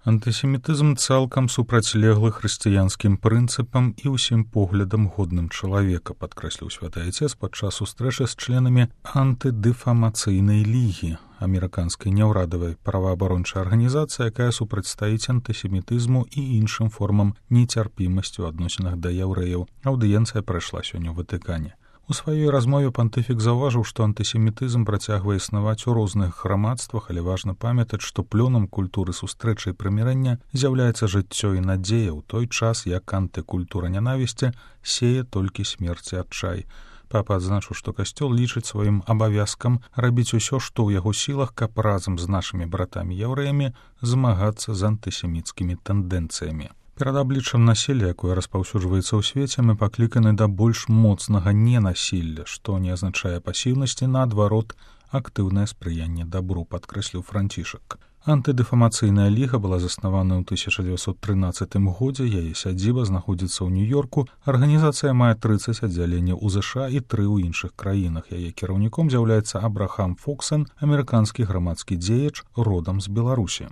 Антысемітызм цалкам супрацьлеглы хрысціянскім прынцыпам і ўсім поглядам годным чалавека, падкрэсліў святы айцец падчас сустрэчы з членамі антыдэфамацыйнай лігі, амерыканскай няўрадавай праваабарончай арганізацыі, якая супрацьстаіць антысемітызму і іншым формам нецярпімасці ў адносінах да яўрэяў. Аўдыенцыя прайшла сёння ў Ватыкане. У сваёй размове пантыфік заўважыў, што антысемітызм працягвае існаваць у розных грамадствах, але важна памятаць, што плёнам культуры сустрэчы і прымірэння з'яўляецца жыццё і надзея ў той час, як антыкультура нянавісці сее толькі смерць і адчай. Папа адзначыў, што касцёл лічыць сваім абавязкам рабіць усё, што ў яго сілах, каб разам з нашымі братамі-яўрэямі змагацца з антысеміцкімі тэндэнцыямі. Перад абліччам насілля, якое распаўсюджваецца ў свеце, мы пакліканы да больш моцнага ненасілля, што не азначае пасіўнасці, наадварот, актыўнае спрыянне дабру, падкрэсліў Францішак. Антыдэфамацыйная ліга была заснавана ў 1913 годзе, яе сядзіба знаходзіцца ў Нью-Йорку. Арганізацыя мае 30 аддзяленняў у ЗША і 3 ў іншых краінах. Яе кіраўніком з'яўляецца Абрахам Фоксен, амерыканскі грамадскі дзеяч родам з Беларусі.